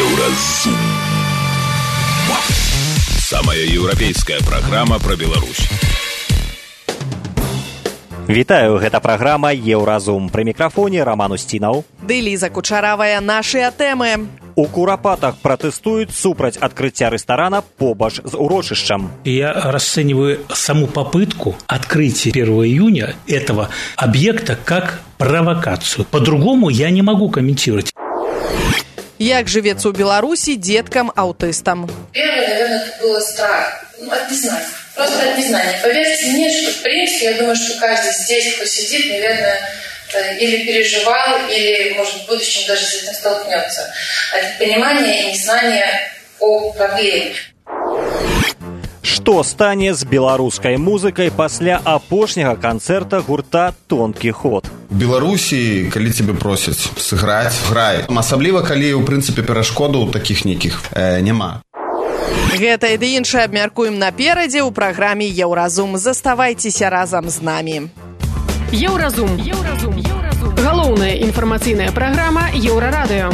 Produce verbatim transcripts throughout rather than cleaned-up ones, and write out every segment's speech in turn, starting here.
Еўразум. Самая еўрапейская праграма пра Беларусь. Вітаю, гэта праграма Еўразум. Пры мікрафоне Роман Устінаў. Ды Ліза Кучаравая, нашыя тэмы. У Курапатах пратэстуюць супраць открытия ресторана побач з урочышчам. Я расцениваю саму попытку открытия первого июня этого объекта как провокацию. По-другому я не могу комментировать. Як живется у Беларуси деткам-аутистам? Первое, наверное, это было страх. Ну, от незнания. Просто от незнания. Поверьте мне, что, в принципе, я думаю, что каждый здесь, кто сидит, наверное, или переживал, или, может, в будущем даже с этим столкнется. От понимания и незнания о проблеме. Што стане з беларускай музыкай пасля апошняга канцэрта гурта «Тонкі ход»? У Беларусі, калі цябе просяць сыграць, грай. Асабліва, калі, у прынцыпе, перашкодаў такіх нейкіх э, няма. Гэта і ды іншае абмяркуем наперадзе ў праграме «Еўразум». Заставайцеся разам з намі. Еўразум. Еўразум. Еўразум. Галоўная інфармацыйная праграма Еўрарадыё.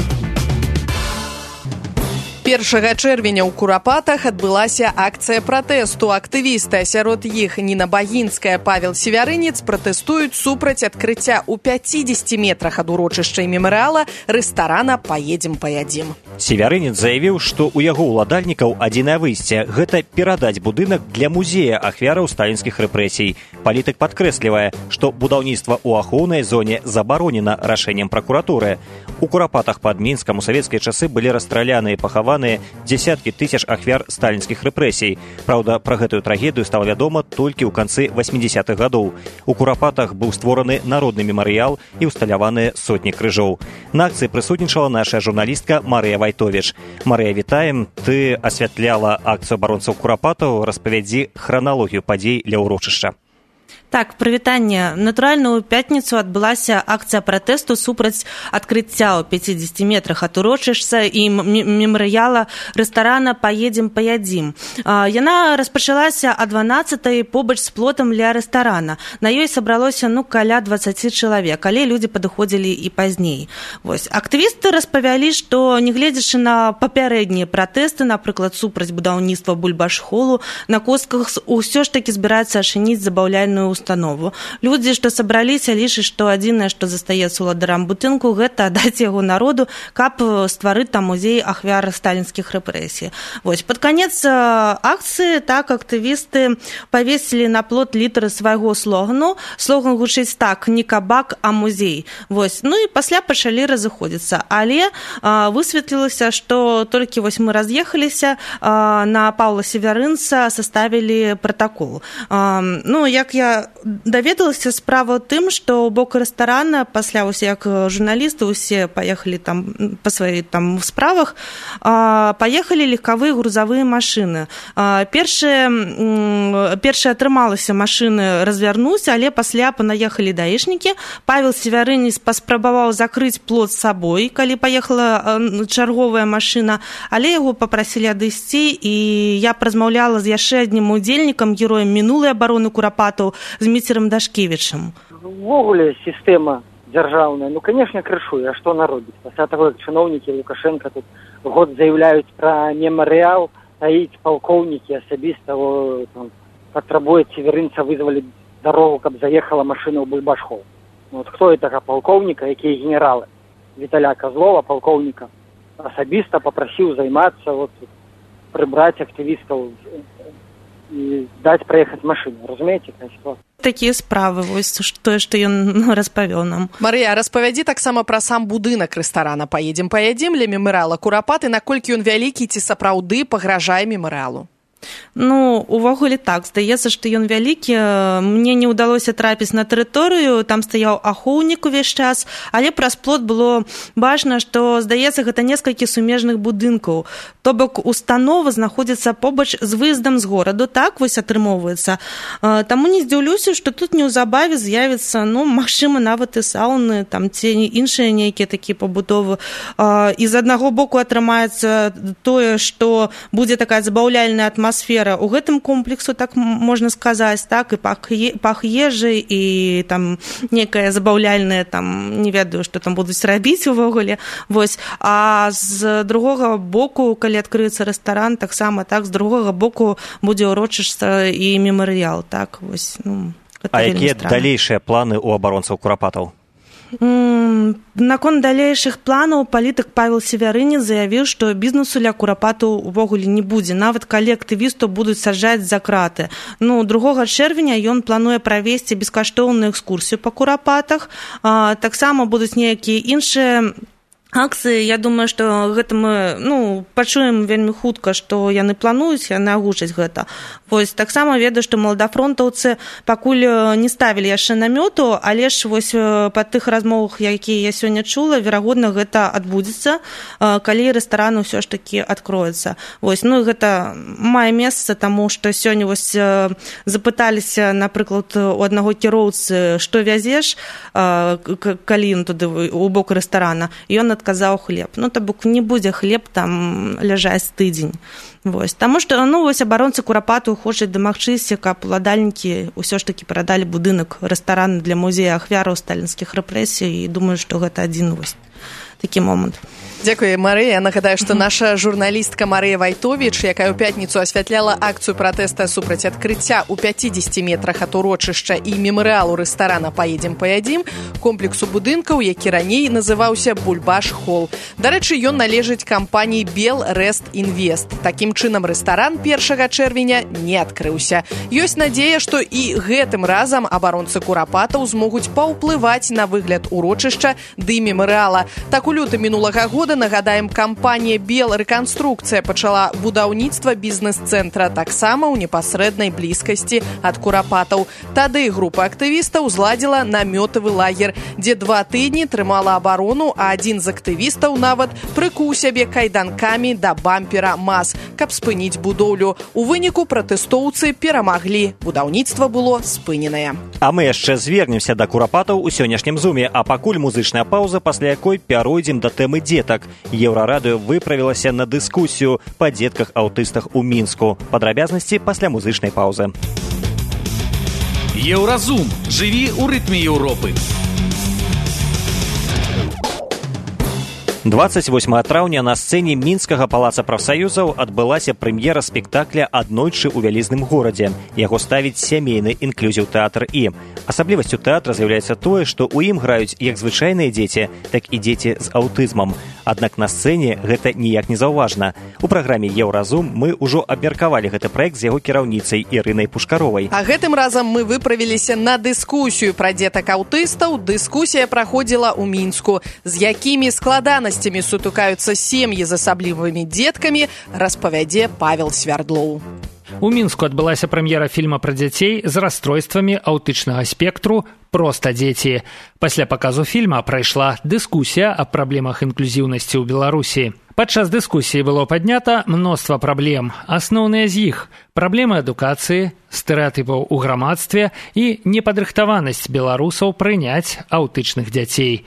першага чэрвеня ў Курапатах адбылася акцыя пратэсту. Актывісты, сярод іх Ніна Багінская, Павел Севярынец, пратэстуюць супраць адкрыцця ў пяцідзесяці метрах ад урочышча і мемарыяла рэстарана «Паедзем, паядзім». Севярынец заявіў, што ў яго ўладальнікаў адзінае выйсце – гэта перадаць будынак для музея ахвяраў сталінскіх рэпрэсій. Палітык падкрэслівае, што будаўніцтва ў ахоўнай зоне забаронена рашэннем пракуратуры. У Курапатах пад Мінскам у савецкія часы былі расстраляны і пахаваны дзесяткі тысяч ахвяр сталінскіх рэпрэсій. Праўда, пра гэтую трагедыю стала вядома толькі ў канцы васьмідзесятых гадоў. У Курапатах быў створаны народны мемарыял і ўсталяваныя сотні крыжоў. На акцыі прысутнічала наша журналістка Марыя Вайтовіч. Марыя, вітаем. Ты асвятляла акцыю абаронцаў Курапатаў. Распавядзі храналогію падзей ля ўрочышча. Так, прывітанне. Натуральна, у пятніцу адбылася акцыя пратэсту супраць адкрыцця ў пяцідзесяці метрах ад урочышча і мемарыяла рэстарана «Паедзем, паядзім». Яна распачалася о дванаццатай побач з плотам ля рэстарана. На ёй сабралося ну каля дваццаці чалавек, але людзі падыходзілі і пазней. Вось. Актывісты распавялі, што, нягледзячы на папярэднія пратэсты, напрыклад, супраць будаўніцтва бульбашхолу, на костках усё ж такі збіраецца ашыніць забаўляльную установу. установу. Людзі, што сабраліся, лічаць, што адзінае, што застаецца ўладарам будынку, гэта даць яго народу, каб стварыць там музей ахвяр сталінскіх рэпрэсій. Вось, пад канец акцыі так актывісты павесілі на плот літары свайго слогану. Слоган гучыць так: не кабак, а музей. Вось. Ну і пасля пачалі разыходзіцца. Але а, высветлілася, што толькі вось мы раз'ехаліся, а, на Паўла Севярынца саставілі пратакол. А, ну, як я даведалася, справа ў тым, што ў бок рэстарана пасля ўсе як журналісты усе паехалі там па сваіх там справах, паехалі легкавыя грузавыя машыны. Першыя першая атрымалася машыны развярнуць, але пасля панаехалі даішнікі. Павел Севярынец паспрабаваў закрыць плот з сабой, калі паехала чарговая машына, але яго папрасілі адысці, і я празмаўляла з яшчэ аднім удзельнікам, героем мінулай абароны Курапатаў, з Міцерам Дашкевічам. Увогуле сістэма дзяржаўная, ну, конечно, крышуе, а што наробіць? Пасля таго, як чыноўнікі Лукашенко тут год заяўляюць пра мемарыял, таіць палкоўнікі асабіста патрабуюць Севярынца вызваліць дарогу, каб заехала машына ў бульбашхол. Вот хто гэтага палкоўніка, якія генералы? Віталя Козлова, палкоўніка, асабіста папрасіў займацца, вот, прыбраць актывістаў і даць праехаць машыну. Разумееце, ситуацыя? Такія справы, вось тое, што ён распавёў нам. Марыя, распавядзі таксама пра сам будынак рэстарана «Паедзем, паядзім» ля мемарыяла Курапаты, наколькі ён вялікі, ці сапраўды пагражае мемарыялу? Ну, увогуле так, здаецца, што ён вялікі. Мне не ўдалося трапіць на тэрыторыю, там стаяў ахоўнік увесь час, але праз плот было бачна, што, здаецца, гэта некалькі сумежных будынкаў. То бок установа знаходзіцца побач з выездам з гораду, так вось атрымоўваецца. Таму не здзіўлюся, што тут неўзабаве з'явіцца, ну, магчыма, нават і сауны, там ці іншыя нейкія такія пабудовы. І з аднаго боку атрымаецца тое, што будзе такая забаўляльная атмасфера, атмасфера у гэтым комплексу, так можна сказаць, так, і пах, пах ежы, і там некае забаўляльнае, там, не ведаю, што там будуць рабіць увогуле. Вось. А з другога боку, калі адкрыецца рэстаран, таксама, так, з другога боку будзе ўрочышча і мемарыял, так, вось, ну, гэта а вельмі якія странна. далейшыя планы ў абаронцаў курапатаў? Наконт далейшых планаў палітык Павел Севярынец заявіў, што бізнесу ля курапатаў увогуле не будзе, нават калі актывістаў будуць саджаць за краты. Ну, другога чэрвеня ён плануе правесці бескаштоўную экскурсію па курапатах, а, таксама будуць нейкія іншыя акцыі. Я думаю, што гэта мы, ну, пачуем вельмі хутка, што яны плануюць, яны агучаць гэта. Вось, таксама ведаю, што маладафронтаўцы пакуль не ставілі яшчэ намёту, але ж вось па тых размовах, якія я сёння чула, верагодна, гэта адбудзецца, калі рэстаран ўсё ж такі адкроецца. Вось, ну, гэта мае месца, таму што сёння вось запыталіся, напрыклад, у аднаго кіроўцы, што вязеш, калі ён туды у бок рэстарана, і ён адказаў хлеб. Ну, то бок не будзе хлеб там ляжаць тыдзень. Вось. Таму што, ну, вось абаронцы курапату хочуць дамагчыся, каб уладальнікі ўсё ж такі прадалі будынак рэстарана для музея ахвяраў сталінскіх рэпрэсій, і думаю, што гэта адзін вось такі момант. Дзякуй, Марыя. Нагадаю, што наша журналістка Марыя Вайтовіч, якая ў пятніцу асвятляла акцыю пратэста супраць адкрыцця ў пяцідзесяці метрах ад урочышча і мемарыялу рэстарана «Паедзем, паядзім» комплексу будынкаў, які раней называўся «Бульбаш-Холл». Дарэчы, ён належыць кампаніі «Бел Рест Інвест». Такім чынам рэстаран першага чэрвеня не адкрыўся. Ёсць надзея, што і гэтым разам абаронцы курапатаў змогуць паўплываць на выгляд урочышча ды мемарыяла. Так, у лютым мінулага года, нагадаем, кампанія «Бел Рэканструкцыя» пачала будаўніцтва бізнес-цэнтра таксама ў непасрэднай блізкасці ад курапатаў. Тады група актывістаў зладзіла намётавы лагер, дзе два тыдні трымала абарону, а адзін з актывістаў нават прыкуў сябе кайданкамі да бампера МАЗ, каб спыніць будоўлю. У выніку пратэстоўцы перамаглі. Будаўніцтва было спыненае. А мы яшчэ звернемся да курапатаў у сённяшнім зуме, а пакуль музычная паўза, пасля якой пяройдзем да тэмы дзетак. Еўрарадыё выправілася на дыскусію па дзетках-аўтыстах у Мінску. Падрабязнасці пасля музычнай паўзы. Еўразум. Жыві ў рытме Еўропы. дваццаць восьмага траўня на сцэне мінскага палаца прафсаюзаў адбылася прэм'ера спектакля «Аднойчы ў вялізным горадзе». Яго ставіць сямейны інклюзіў тэатр І. Асаблівасцю тэатра з'яўляецца тое, што ў ім граюць як звычайныя дзеці, так і дзеці з аўтызмам. Аднак на сцэне гэта ніяк не заўважна. У праграме «Еўразум» мы ўжо абмеркавалі гэты праект з яго кіраўніцай Ірынай Пушкаровай. А гэтым разам мы выправіліся на дыскусію пра дзетак-аўтыстаў. Дыскусія праходзіла ў Мінску. З якімі складанасцямі сутыкаюцца сем'і з асаблівымі дзеткамі, распавядзе Павел Свярдлоў. У Мінску адбылася прэм'ера фільма пра дзяцей з расстройствамі аўтычнага спектру «Проста дзеці». Пасля паказу фільма прайшла дыскусія аб праблемах інклюзіўнасці ў Беларусі. Падчас дыскусіі было паднята мноства праблем. Асноўныя з іх – праблемы адукацыі, стэрэатыпаў у грамадстве і непадрыхтаванасць беларусаў прыняць аўтычных дзяцей.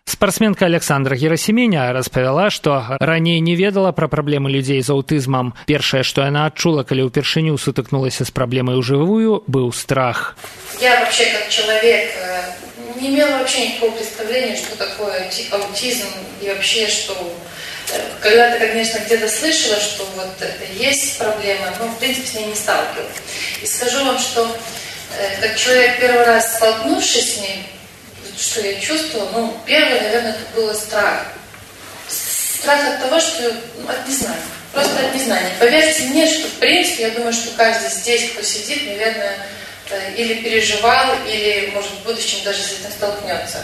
Спартсменка Александра Герасіменя распавяла, што раней не ведала пра праблемы людзей з аўтызмам. Першае, што яна адчула, калі ўпершыню сутыкнулася з праблемай ужывую, быў страх. Я вообще как человек не имела вообще никакого представления, что такое аутизм и вообще, что когда-то, конечно, где-то слышала, что вот это есть проблема, но в принципе с ней не сталкивалась. И скажу вам, что как человек первый раз столкнувшись с ней, что я чувствовала, ну, первое, наверное, это было страх. Страх от того, что, ну, от незнания. Просто от незнания. Поверьте мне, что, в принципе, я думаю, что каждый здесь, кто сидит, наверное, или переживал, или, может, в будущем даже с этим столкнется.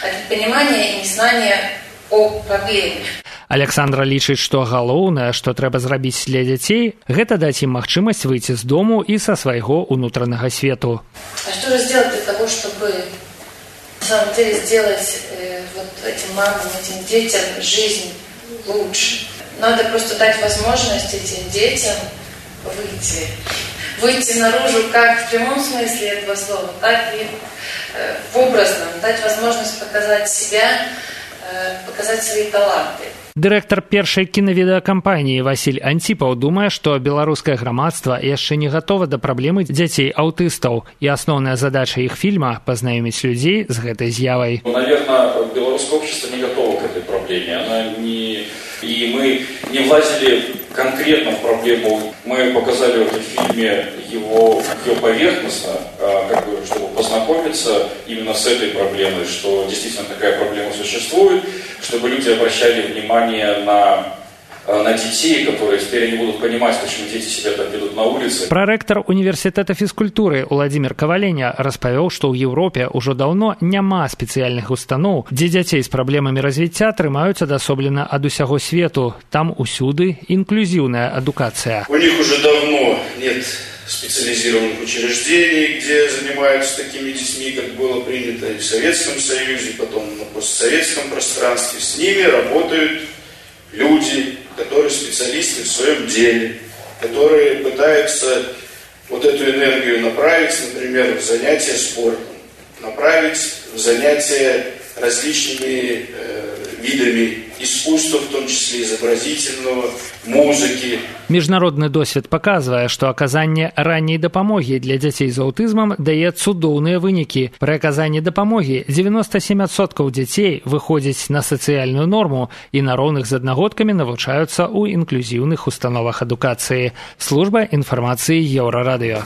От непонимания и незнания о проблеме. Александра лічыць, што галоўнае, што трэба зрабіць для дзяцей, гэта даць ім магчымасць выйти з дому і са свайго унутранага свету. А что же сделать для того, чтобы на самом деле сделать э, вот этим мамам, этим детям жизнь лучше? Надо просто дать возможность этим детям выйти. Выйти наружу как в прямом смысле этого слова, так и э, в образном. Дать возможность показать себя, э, показать свои таланты. Дырэктар першай кінавідэакампаніі Васіль Антіпаў думае, што беларускае грамадства яшчэ не гатова да праблемы дзяцей-аўтыстаў, і асноўная задача іх фільма – пазнаёміць людзей з гэтай з'явай. Ну, наверное, белорусское общество не готово к этой проблеме. Она не... И мы не влазили конкретно в проблему. Мы показали в этом фильме его, ее поверхностно, как бы, чтобы познакомиться именно с этой проблемой, что действительно такая проблема существует, чтобы люди обращали внимание на... на детей, которые теперь не будут понимать, почему дети себя так ведут на улице. Прарэктар універсітэта фізкультуры Уладзімір Каваленя распавёў, што ў Еўропе ўжо даўно няма спецыяльных устаноў, дзе дзяцей з праблемамі развіцця трымаюць адасоблена ад усяго свету. Там усюды інклюзіўная адукацыя. У них уже давно нет специализированных учреждений, где занимаются такими детьми, как было принято и в Советском Союзе, потом на постсоветском пространстве. С ними работают люди, которые специалисты в своем деле, которые пытаются вот эту энергию направить, например, в занятия спортом, направить в занятия различными э, видами искусства, в том числе изобразительного, музыки. Міжнародны досвед паказвае, што аказанне ранняй дапамогі для дзяцей з аўтызмам дае цудоўныя вынікі. Пры аказанні дапамогі дзевяноста сем адсоткаў дзяцей выходзяць на сацыяльную норму і на роўных з аднагодкамі навучаюцца ў інклюзіўных установах адукацыі. Служба інфармацыі Еўрарадыё.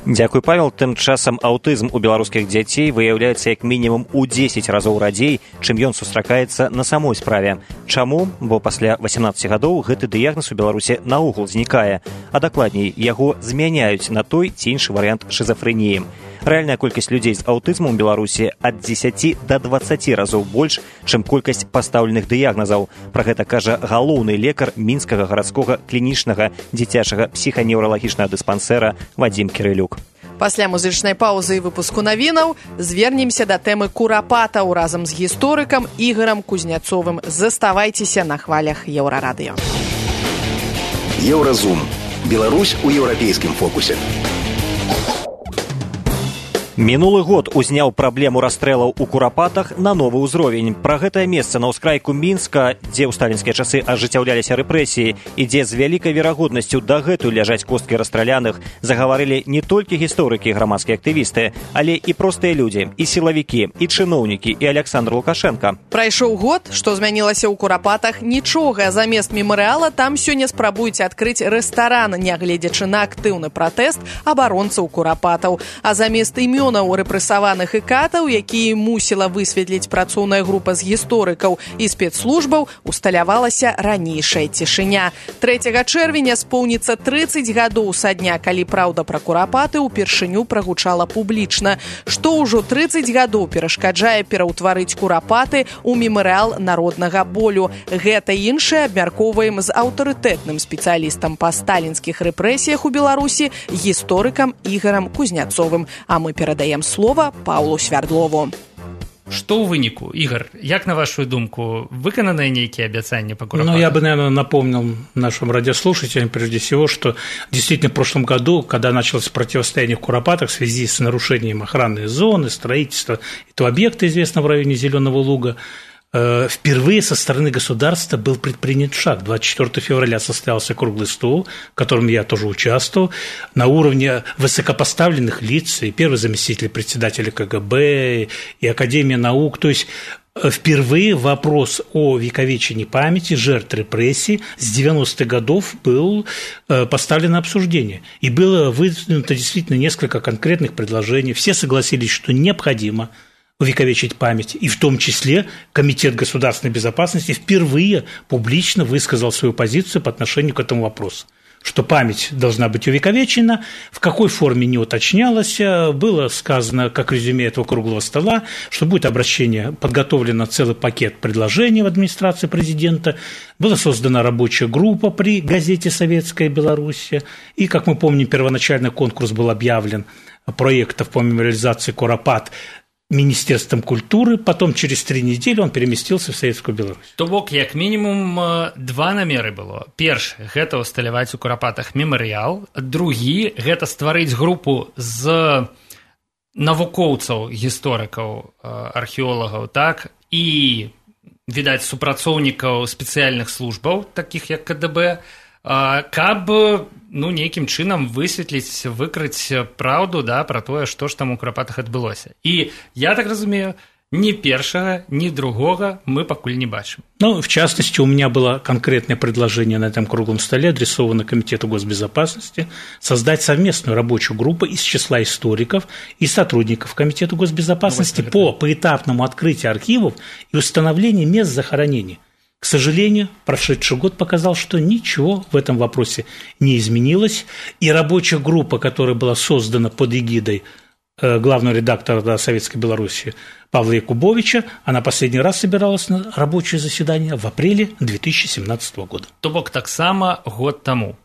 Дзякуй, Павел. Тым часам аўтызм у беларускіх дзяцей выяўляецца як мінімум у дзесяць разоў радзей, чым ён сустракаецца на самой справе. Чаму? Бо пасля васемнаццаці гадоў гэты дыягназ у Беларусі наогул знікае, а дакладней, яго змяняюць на той ці іншы варыянт шызафрэніі. Рэальная колькасць людзей з аўтызмам у Беларусі ад дзесяці да дваццаці разоў больш, чым колькасць пастаўленых дыягназаў. Пра гэта кажа галоўны лекар мінскага гарадскога клінічнага дзіцячага псіханеўралагічнага дыспансэра Вадзім Кірылюк. Пасля музычнай паўзы і выпуску навінаў звернемся да тэмы курапатаў разам з гісторыкам Ігарам Кузняцовым. Заставайцеся на хвалях Еўрарадыё. Еўразум. Беларусь у еўрапейскім фокусе. Мінулы год узняў праблему расстрэлаў у курапатах на новы ўзровень. Пра гэтае месца на ўскрайку Мінска, дзе ў сталінскія часы ажыццяўляліся рэпрэсіі і дзе з вялікай верагоднасцю дагэтуль ляжаць косткі расстраляных, загаварылі не толькі гісторыкі і грамадскія актывісты, але і простыя людзі, і сілавікі, і чыноўнікі, і Александр Лукашенко. Прайшоў год, што змянілася ў курапатах, нічога. Замест мемарыяла там сёння спрабуюць адкрыць рэстаран, нягледзячы на актыўны пратэст абаронцаў курапатаў. А замест імён у рэпрэсаваных і катаў, якія мусіла высветліць працоўная група з гісторыкаў і спецслужбаў, усталявалася ранейшая цішыня. трэцяга чэрвеня споўніцца трыццаць гадоў са дня, калі праўда пра курапаты ўпершыню прагучала публічна. Што ўжо трыццаць гадоў перашкаджае пераўтварыць курапаты ў мемарыял народнага болю. Гэта іншае абмяркоўваем з аўтарытэтным спецыялістам па сталінскіх рэпрэсіях у Беларусі, гісторыкам Ігарам Кузняцовым. А мы перадаем Даем слова Паўлу Свярдлову. Што ў выніку, Игорь, як на вашу думку, выкананыя нейкія абяцанні по курапатам? Ну, я бы, наверное, напомнил нашим радиослушателям прежде всего, что действительно в прошлом году, когда началось противостояние в курапатах в связи с нарушением охранной зоны, строительства этого объекта, известного в районе Зеленого Луга, впервые со стороны государства был предпринят шаг. двадцать четвёртого февраля состоялся круглый стол, в котором я тоже участвовал, на уровне высокопоставленных лиц, и первый заместитель председателя КГБ, и Академия наук. То есть впервые вопрос о вековечении памяти жертв репрессий с девяностых годов был поставлен на обсуждение. И было выдвинуто действительно несколько конкретных предложений. Все согласились, что необходимо увековечить память, и в том числе Комитет государственной безопасности впервые публично высказал свою позицию по отношению к этому вопросу, что память должна быть увековечена, в какой форме не уточнялось, было сказано, как резюме этого круглого стола, что будет обращение, подготовлено целый пакет предложений в администрации президента, была создана рабочая группа при газете «Советская Беларусь», и, как мы помним, первоначальный конкурс был объявлен проектов по мемориализации курапат Министерством культуры, потом через три недели он переместился в Советскую Беларусь. То бок, як мінімум, два намеры было. Першы – гэта ўсталяваць у курапатах мемарыял. Другі – гэта стварыць групу з навукоўцаў, гісторыкаў, археолагаў, так, і відаць, супрацоўнікаў спецыяльных службаў, такіх як ка дэ бэ, каб ну, нейкім чынам высветліць, выкрыць праўду, да, пра тое, што ж там у Курапатах адбылося. І я так разумею, ни первого, ни другого мы покуль не бачим. Ну, в частности, у меня было конкретное предложение на этом круглом столе, адресовано Комитету госбезопасности, создать совместную рабочую группу из числа историков и сотрудников Комитета госбезопасности ну, по поэтапному открытию архивов и установлению мест захоронений. К сожалению, прошедший год показал, что ничего в этом вопросе не изменилось, и рабочая группа, которая была создана под эгидой главного редактора Советской Беларуси Павла Якубовича, она последний раз собиралась на рабочее заседание в апреле две тысячи семнадцатого года. То бок таксама год таму.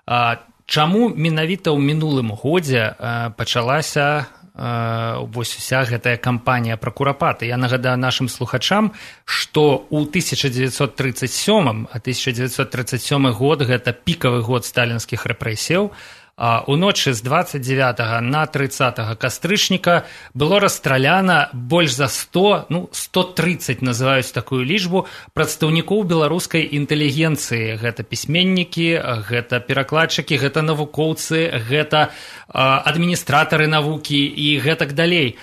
А, чаму менавіта ў мінулым годзе а, пачалася а, вось уся гэтая кампанія пра Курапаты? Я нагадаю нашым слухачам, што ў тысяча дзевяцьсот тридцать сёмым, а тысяча дзевяцьсот тридцать сёмы год гэта пікавы год сталінскіх рэпрэсіяў, уночы з двадцать девятого на тридцатого кастрычніка было расстраляна больш за сто, ну, сто тридцать называюць такую лічбу, прадстаўнікоў беларускай інтэлігенцыі. Гэта пісьменнікі, гэта перакладчыкі, гэта навукоўцы, гэта адміністратары навукі і гэтак далей.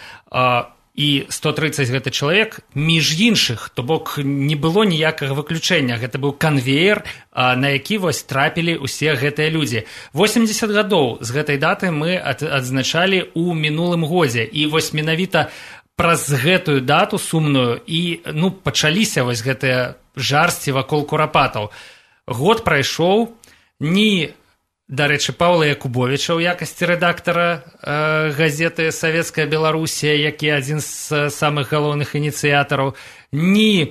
І сто тридцать гэта чалавек, між іншых, то бок не было ніякага выключэння. Гэта быў канвеер, на які вось трапілі ўсе гэтыя людзі. восемьдесят гадоў з гэтай даты мы адзначалі ў мінулым годзе. І вось менавіта праз гэтую дату сумную і ну, пачаліся вось гэтыя жарсці вакол Курапатаў. Год прайшоў, ні... Дарэчы, Паўла Якубовіча ў якасці рэдактара э, газеты «Савецкая Беларусія», які адзін з самых галоўных ініцыятараў, ні э,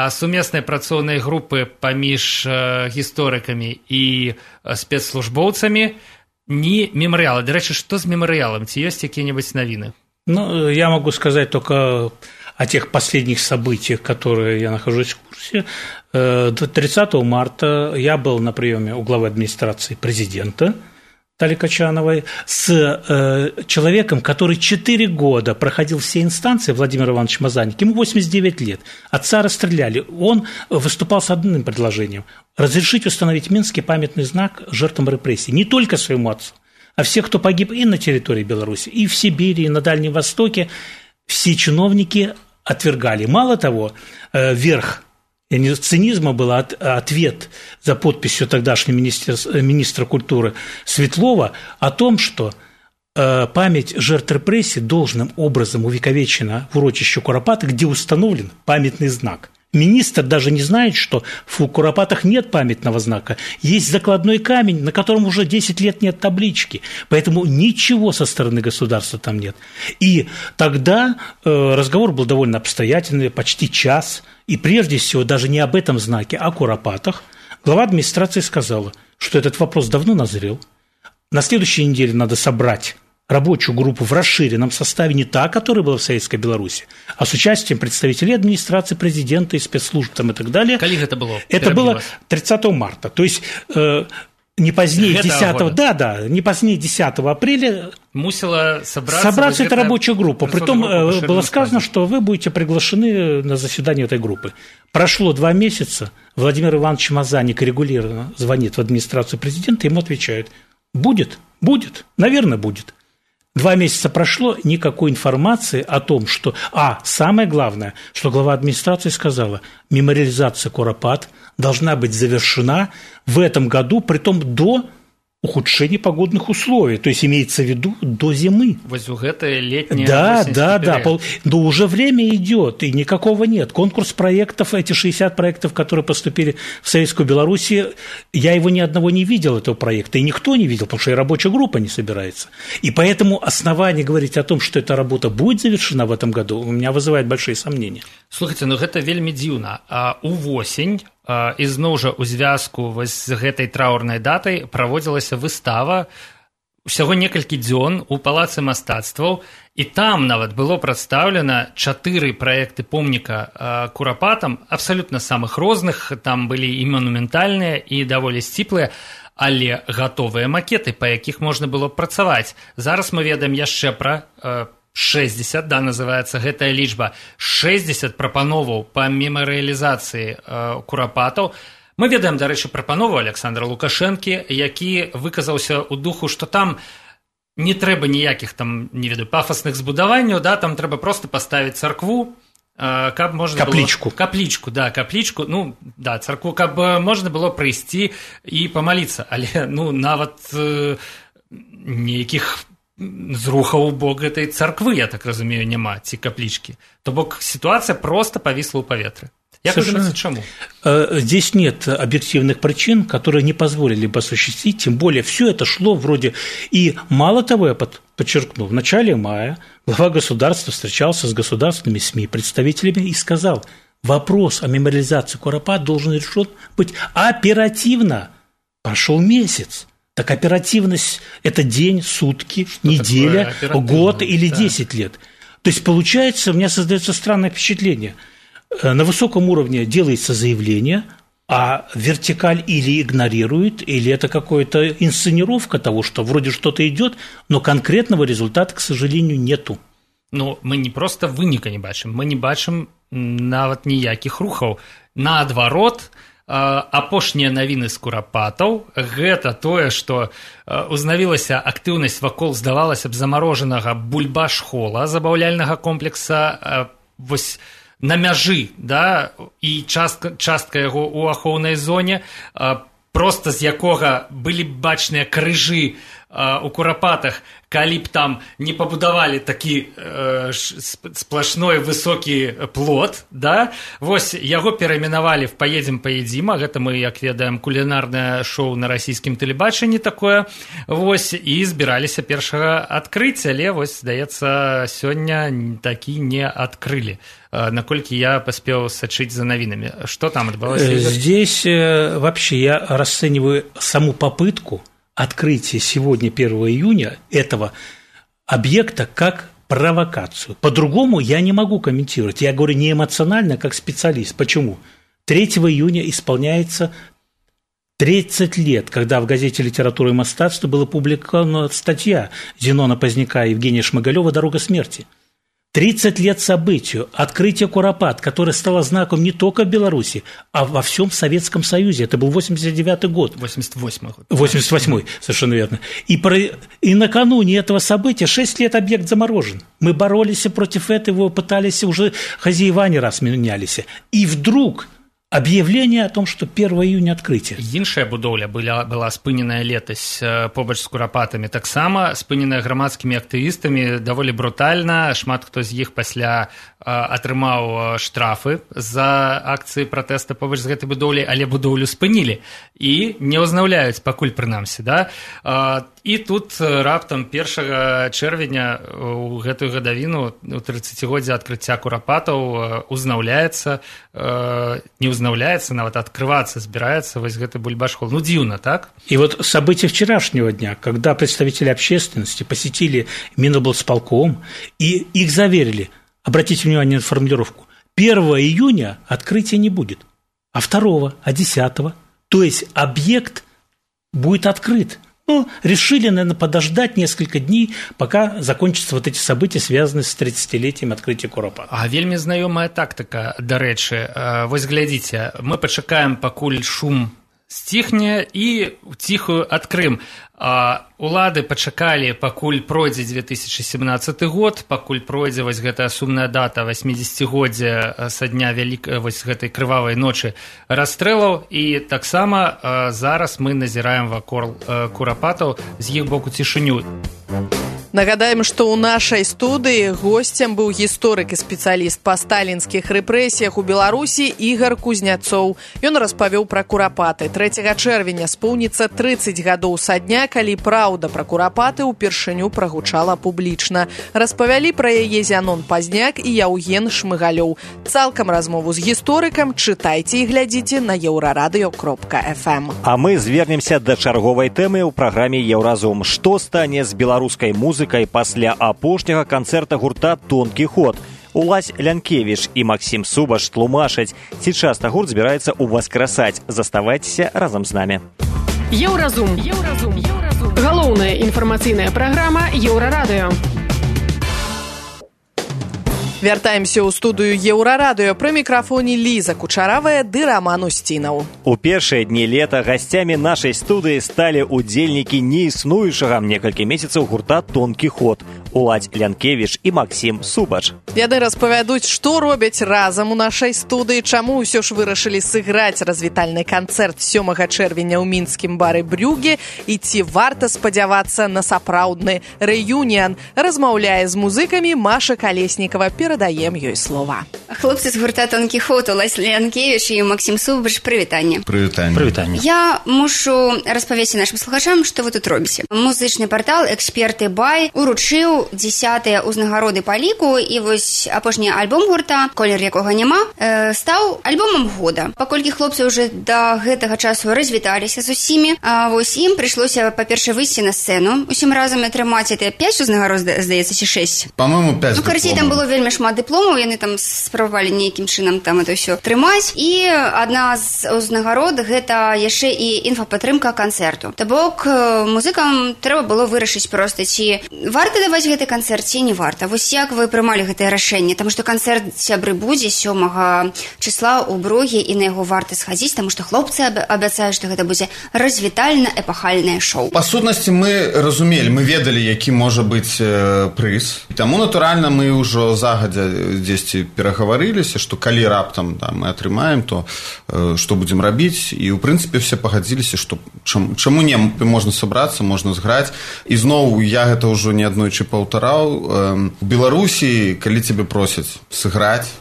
сумеснай працоўнай групы паміж э, гісторыкамі і э, спецслужбоўцамі, ні мемарыяла. Дарэчы, што з мемарыялам? Ці ёсць якія-небудзь навіны? Ну, я могу сказать только о тех последних событиях, которые я нахожусь в курсе. тридцатого марта я был на приеме у главы администрации президента Тали Качановой с э, человеком, который четыре года проходил все инстанции, Владимир Иванович Мазанник, ему восемьдесят девять лет, отца расстреляли. Он выступал с одним предложением – разрешить установить Минский памятный знак жертвам репрессий, не только своему отцу, а всех, кто погиб и на территории Беларуси, и в Сибири, и на Дальнем Востоке. Все чиновники отвергали. Мало того, э, верх цинизма был от, ответ за подписью тогдашнего министра, министра культуры Светлова о том, что э, память жертв репрессий должным образом увековечена в урочище Куропаты, где установлен памятный знак. Министр даже не знает, что в Куропатах нет памятного знака. Есть закладной камень, на котором уже десять лет нет таблички. Поэтому ничего со стороны государства там нет. И тогда э, разговор был довольно обстоятельный, почти час. И прежде всего даже не об этом знаке, а о Куропатах. Глава администрации сказала, что этот вопрос давно назрел. На следующей неделе надо собрать рабочую группу в расширенном составе, не та, которая была в Советской Беларуси, а с участием представителей администрации, президента и спецслужб там, и так далее. Когда это было? Это было тридцатого марта. То есть э, не позднее десятого, да, да, не позднее десятого апреля мусила собраться, собраться эта рабочая группа. Притом группа было сказано, что вы будете приглашены на заседание этой группы. Прошло два месяца, Владимир Иванович Мазанник регулярно звонит в администрацию президента, ему отвечают: будет, будет, наверное, будет. Два месяца прошло, никакой информации о том, что... А, самое главное, что глава администрации сказала, мемориализация Куропат должна быть завершена в этом году, притом до ухудшения погодных условий, то есть имеется в виду до зимы. Вот это летнее. Да, да, да, но уже время идет, и никакого нет. Конкурс проектов, эти шестьдесят проектов, которые поступили в Советскую Белоруссию, я его ни одного не видел, этого проекта, и никто не видел, потому что и рабочая группа не собирается. И поэтому основание говорить о том, что эта работа будет завершена в этом году, у меня вызывает большие сомнения. Слушайте, ну это вельмі дзіўна. А увосень і зноў жа у звязку з гэтай траўрнай датай праводзілася выстава усяго некалькі дзён у палацы мастацтваў, і там нават было прадстаўлена чатыры праекты помніка Курапатам, абсалютна самых розных, там былі і манументальныя, і даволі сціплыя, але гатовыя макеты, па якіх можна было працаваць. Зараз мы ведаем яшчэ пра шэсцьдзесят, да, называецца гэтая лічба, шэсцьдзесят прапановаў па мемарыялізацыі э, курапатаў. Мы ведаем, дарэчы, прапанову Александра Лукашэнкі, які выказаўся ў духу, што там не трэба ніякіх там, не ведаю, пафасных збудаванняў, да, там трэба проста паставіць царкву, э, каб можна каплічку. Было... Каплічку, да, каплічку, ну, да, царкву, каб можна было прыйсці і памаліцца, але, ну, нават э, ніякіх зрухаў у бок гэтай царквы, я так разумею, няма, ці каплічкі. То бок ситуация просто повисла у паветры. Я думаю, чему? Здесь нет объективных причин, которые не позволили бы осуществить, тем более все это шло вроде... И мало того, я подчеркну, в начале мая глава государства встречался с государственными СМИ, представителями, и сказал, вопрос о мемориализации Куропат должен решен быть оперативно. Прошел месяц. Так оперативность – это день, сутки, что неделя, год или да. десять лет. То есть, получается, у меня создается странное впечатление – на высоком уровне делается заявление, а вертикаль или игнорирует, или это какая-то инсценировка того, что вроде что-то идет, но конкретного результата, к сожалению, нету. Ну, мы не просто выніка не бачым, мы не бачым нават ніякіх рухаў. Наадварот, апошнія навіны з курапатаў гэта тое, што узнавілася актыўнасць вакол, здавалася б, замарожанага бульбаш-хола, забаўляльнага комплекса, вось на мяжы, да, і частка, частка яго ў ахоўнай зоне, проста з якога былі б бачныя крыжы у курапатах, калі б там не пабудавалі такі э, сплошной высокі плот, да, вось яго перайменавалі в «Поедем, поедим», а гэта мы, як ведаем, кулінарнае шоу на расійскім тэлебачанні такое, вось, і збіраліся першага адкрыць, але, вось, здаецца, сёння такі не адкрылі. Наколькі я поспел сочить за новинами. Что там отбылось? Здесь вообще я расцениваю саму попытку открытия сегодня, первого июня, этого объекта как провокацию. По-другому я не могу комментировать. Я говорю не эмоционально, как специалист. Почему? третьего июня исполняется тридцать лет, когда в газете «Литература и мастатство» была опубликована статья Зенона Поздняка и Евгения Шмыгалева «Дорога смерти». тридцать лет событию, открытие Куропат, которое стало знаком не только в Беларуси, а во всем Советском Союзе. Это был восемьдесят девятый год. восемьдесят восьмой год. восемьдесят восьмой, совершенно верно. И, про... и накануне этого события шесть лет объект заморожен. Мы боролись против этого, пытались, уже хозяева не раз менялись. И вдруг... объявление о том, что первого июня открытие. Іншая будоўля была, была спыненая летась побач з курапатамі, таксама спыненая грамадскімі актывістамі даволі брутальна. Шмат хто з іх пасля атрымаў штрафы за акцыі пратэста побач з гэтай будоўляй, але будоўлю спынілі і не ўзнаўляюць пакуль прынамсі, да? І тут раптам першага чэрвеня у гэтую гадавіну у трыццацігоддзе адкрыцця курапатаў узнаўляецца, не узнаўляецца, нават открываться збирается вось гэты бульбаш-хол. Ну, дзіўна, так? И вот события вчерашнего дня, когда представители общественности посетили Миноблсполком и их заверили, обратите внимание на формулировку, первого июня открытия не будет, а второго, а десятого. То есть объект будет открыт. Ну, решили, наверное, подождать несколько дней, пока закончатся вот эти события, связанные с тридцатилетием открытия Куропат. А вельмі знаёмая тактика, дарэчы. Вось глядзіце, мы пачакаем, пакуль шум сціхне, і ціхую адкрым. Улады пачакалі, пакуль пройдзе две тысячи семнадцаты год, пакуль пройдзе вось гэтая сумная дата восьмидзесяцігоддзя са дня вялікай вось гэтай крывавай ночы расстрэлаў, і таксама зараз мы назіраем вакол курапатаў з іх боку цішыню. Нагадаем, што ў нашай студыі госцем быў гісторык і спецыяліст па сталінскіх рэпрэсіях у Беларусі Ігар Кузняцоў. Ён распавёў пра курапаты. трэцяга чэрвеня споўніцца трыццаць гадоў са дня, калі праўда пра курапаты ўпершыню прагучала публічна. Распавялі пра яе Зянон Пазняк і Яўген Шмыгалёў. Цалкам размову з гісторыкам чытайце і глядзіце на еўрарадыё кропка эф эм. А мы звернемся да чарговай тэмы ў праграме «Еўразум». Што стане з беларускай музыкай пасля апошняга канцэрта гурта «Тонкі ход». Улась Лянкевіч і Максім Субаш тлумачаць, ці часта гурт збіраецца ўваскрасаць. Заставайцеся разам з намі. Еўразум. Еўразум. Галоўная інфармацыйная праграма Еўрарадыё. Вяртаемся ў студыю Еўрарадыё. Пры мікрафоне Ліза Кучаравая ды Раман Усцінаў. У першыя дні лета гасцямі нашай студыі сталі удзельнікі неіснуючага некалькі месяцаў гурта «Тонкі ход» Уладзь Лянкевіч і Максім Субач. Яны распавядуць, што робяць разам у нашай студыі, чаму ўсё ж вырашылі сыграць развітальны канцэрт сёмага чэрвеня ў мінскім бары «Брюге» і ці варта спадзявацца на сапраўдны рэюніан. Размаўляе з музыкамі Маша Калеснікава. Перадаем ёй слова. Хлопцы з гурта «Тонкі ход» Уладзь Лянкевіч і Максім Субач, прывітанне. Прывітанне. Прывітанне. Я мушу распавесці нашым слухачам, што вы тут робіце. Музычны партал «Эксперты Бай» уручыў дзесятыя ўзнагароды па ліку, і вось апошні альбом гурта «Колер якога няма» э, стаў альбомам года. Паколькі хлопцы ўжо да гэтага часу развіталіся з усімі, а вось ім прыйшлося, па-перше, выйсці на сцэну, усім разам атрымаць это пяць узнагарод, здаецца, ці шэсць. Па-моему, пяць ну, карацей, там было вельмі шмат дыпломаў, яны там спрабавалі нейкім чынам там это ўсё трымаць. І адна з узнагарод гэта яшчэ і інфапатрымка канцэрту. То бок музыкам трэба было вырашыць проста, ці варта даваць гэты канцэрт, ці не варта. Вось як вы прымалі гэтае рашэнне? Таму што канцэрт сябры будзе сёмага числа ў Бруге, і на яго варта схадзіць, таму што хлопцы абяцаюць, што гэта будзе развітальна-эпахальнае шоу. Па сутнасці мы разумелі, мы ведалі, які можа быць э, прыз. Таму, натуральна, мы ўжо загадзя дзесьці перагаварыліся, што калі раптам да, мы атрымаем, то э, што будзем рабіць. І, ў прынцыпе, все пагадзіліся, што чам, чаму не, можна сабрацца, можна зграць. І зноў, я гэта ўжо не аднойчы паўтараў. Э, у Беларусі, калі цябе просяць сыграць,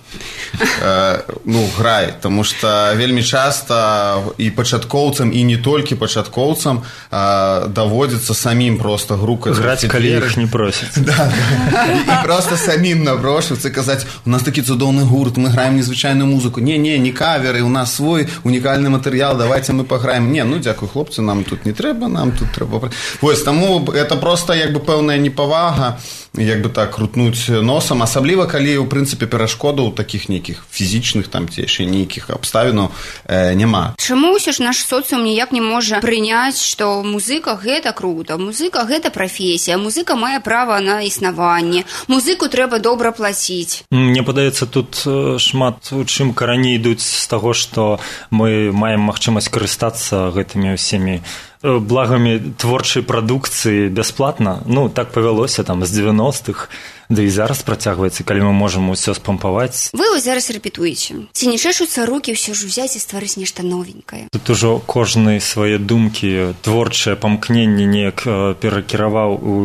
э, ну, грай. Таму што вельмі часта і пачаткоўцам, і не толькі пачаткоўцам э, даводзіцца самім проста грукаць. Граць, калі іх не просяць. Да, да. І, і проста самім напрошвацца, казаць, у нас такі цудоўны гурт, мы граем незвычайную музыку. Не-не, не каверы, у нас свой унікальны матэрыял, давайте мы паграем. Не, ну, дзякуй, хлопцы, нам тут не трэба, нам тут трэба... Вось, таму это проста, як бы, пэўная непавага, як бы так, крутнуць носам, асабліва, калі, у прынцыпе, перашкодаў такіх нейкіх фізічных, там, ці яшчэ нейкіх абставінаў э, няма. Чаму ўсё ж наш соцыум ніяк не можа прыняць, што музыка гэта круто, музыка гэта прафесія, музыка мае права на існаванне, музыку трэба добра плаціць? Мне падаецца, тут шмат у чым карані ідуць з таго, што мы маем магчымасць карыстацца гэтымі ўсімі благамі творчай прадукцыі бясплатна. Ну, так павялося там з дзевяностых, да і зараз працягваецца, калі мы можам усё спампаваць. Вы вось зараз рэпетуеце. Ці не чэшуцца рукі ўсё ж узяць і стварыць нешта новенькае? Тут ужо кожны свае думкі, творчае памкненне неяк перакіраваў у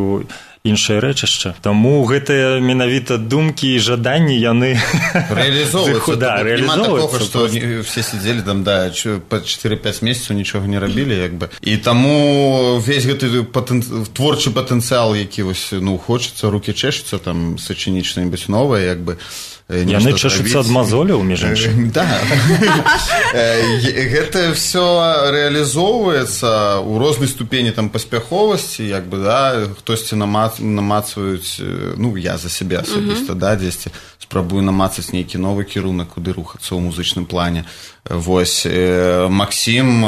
іншае рэчышча. Таму гэтыя менавіта думкі і жаданні, яны рэалізоўваюцца. Да, няма такога, што все сидзелі там, да, па чатыры-пяць месяцаў нічога не рабілі, як бы. І таму весь гэты патэн... творчы патэнцыял, які вось, ну, хочацца, рукі чэшуцца, там, сачыніць што-небудзь новае, як бы. Яны чэшуцца ад мазоляў, між іншым. Да. Гэта ўсё рэалізоўваецца ў рознай ступені там паспяховасці, як бы, да, хтосьці намацваюць, ну, я за сябе асабіста, да, дзесьці спрабую намацаць нейкі новы кірунак, куды рухацца ў музычным плане. Вось, Максім,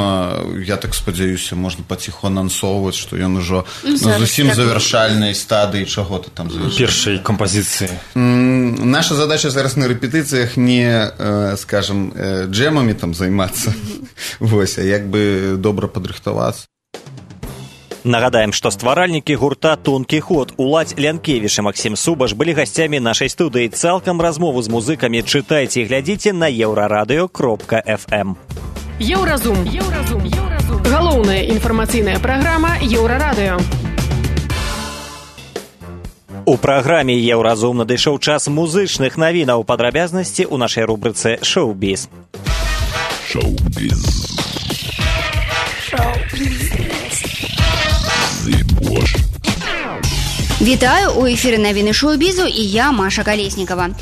я так спадзяюся, можна паціху анансоўваць, што ён ужо на зусім завяршальнай стадыі чаго-то там завяршальнай. Першай кампазіцыі. Наша задача зараз на рэпетыцыях не, скажем, джэмамі там займацца, вось, а як бы добра падрыхтавацца. Нагадаем, што стваральнікі гурта «Тонкі ход» Уладзь Лянкевіч і Максім Субач былі гасцямі нашай студыі. Цалкам размову з музыкамі чытайце і глядзіце на еўрарадыё кропка эф эм. Еўразум. Еўразум. Галоўная інфармацыйная праграма Еўрарадыё. У праграме «Еўразум» надышоў час музычных навінаў. Падрабязнасці ў нашай рубрыцы «Шоу-біз». Шоу-біз. Шоу-біз. Вітаю, у эфіры навіны шоу-бізу і я, Маша Калеснікава.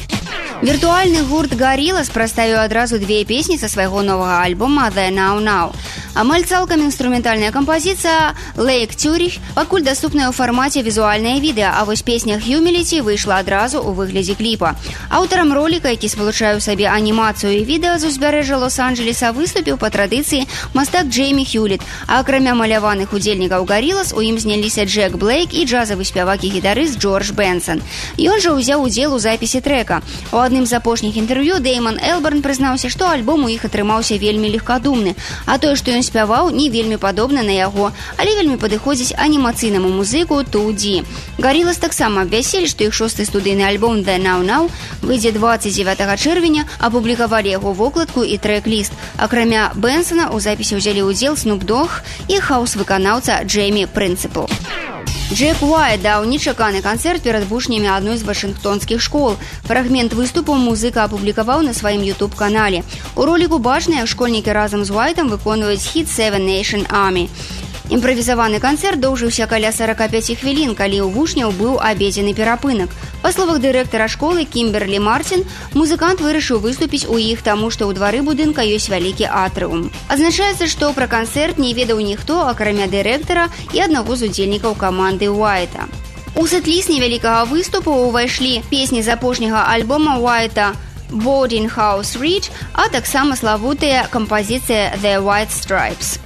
Віртуальны гурт «Гарілас» прадставіў адразу две песні са свайго новага альбома «The Now Now». Амаль цалкам інструментальная кампазіцыя «Lake Zurich» пакуль даступная ў фармаце візуальнае відэа, а вось песня «Humility» выйшла адразу ў выглядзе кліпа. Аўтарам роліка, які спалучае ў сабе анімацыю і відэа з узбярэжжа Лос-Анджелеса, выступіў па традыцыі мастак Джеймі Хьюліт, а акрамя маляваных удзельнікаў «Гарілас» у ім зняліся Джек Блейк і джазавы спявак і гітарыст Джордж Бенсон. Ён жа ўзяў удзел у запісе трэка. У адным з апошніх інтэрв'ю Дэйман Элберн прызнаўся, што альбом у іх атрымаўся вельмі легкадумны, а тое, што ён спяваў, не вельмі падобна на яго, але вельмі падыходзіць анімацыйнаму музыку ту ди. Гарілас таксама абвясцілі, што іх шосты студыйны альбом «The Now Now» выйдзе дваццаць дзевятага чэрвеня, апублікавалі яго вокладку і трэк-ліст. Акрамя Бенсона у запісе ўзялі ўдзел Снуп Дог і хаус-выканаўца Джеймі Прынцыпл. Джек Уайт даў нечаканы канцэрт перад вучнямі адной з вашынгтонскіх школ. Фрагмент выступу музыка апублікаваў на сваім ютуб-канале. У роліку бачна, як школьнікі разам з Уайтам выконваюць хіт «Seven Nation Army». Імправізаваны канцэрт доўжыўся каля сорок пять хвілін, калі ў вучняў быў абедзены перапынак. Па словах дырэктара школы Кімберлі Мартин, музыкант вырашыў выступіць у іх, таму што ў двары будынка ёсць вялікі атрыум. Адзначаецца, што пра канцэрт не ведаў ніхто, акрамя дырэктара і аднаго з удзельнікаў каманды Уайта. У сет-ліст невялікага выступу ўвайшлі песні з апошняга альбома Уайта «Boarding House Reach», а таксама славутыя кампазіцыя «The White Stripes».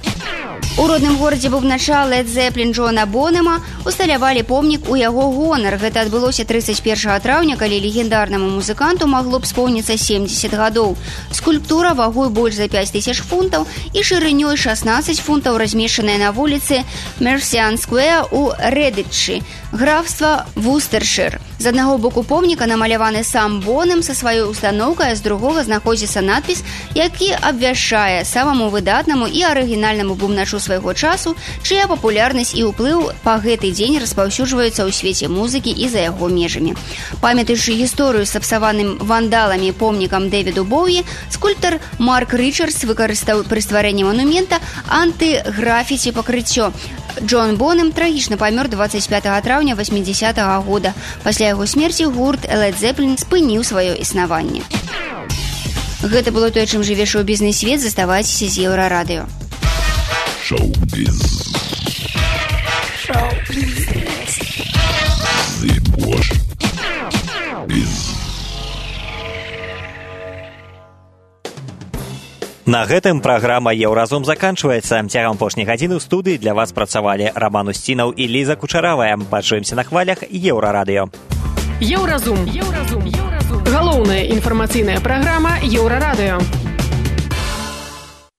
У родным горадзе бубнача Led Zeppelin Джона Бонема усталявалі помнік у яго гонар. Гэта адбылося трыццаць першага траўня, калі легендарнаму музыканту магло б споўніцца семьдесят гадоў. Скульптура вагой больш за пять тысяч фунтаў і шырынёй шестнадцать фунтаў, размешчаная на вуліцы Мерсіан Сквер у Редычы, графства Вустершир. З аднаго боку помніка намаляваны сам Бонем са сваёй устаноўкай, а з другога знаходзіцца надпіс, які абвяшчае самаму выдатнаму і арыгінальнаму бубначу свайго часу, чыя папулярнасць і ўплыў па гэты дзень распаўсюджваюцца ў свеце музыкі і за яго межамі. Памятаючы гісторыю з сапсаваным вандаламі помнікам Дэвіду Боуі, скульптар Марк Ричардс выкарыстаў пры стварэнні манумента антыграфіці пакрыццё. Джон Бонем трагічна памёр дваццаць пятага траўня восьмідзесятага года. Пасля яго смерці гурт Led Zeppelin спыніў сваё існаванне. Гэта было тое, чым жыве шоу-бізнес-свет. Заставайцеся з Еўрарадыё. Шоу-біз. Шоу-біз. Зыбош. Біз. На гэтым праграма «Еўразум» заканчваецца. Цягам апошняй гадзіны ў студыі для вас працавалі Раман Усцінаў і Ліза Кучаравая. Пачуемся на хвалях Еўрарадыё. Еўразум. Еўразум. Галоўная інфармацыйная праграма Еўрарадыё.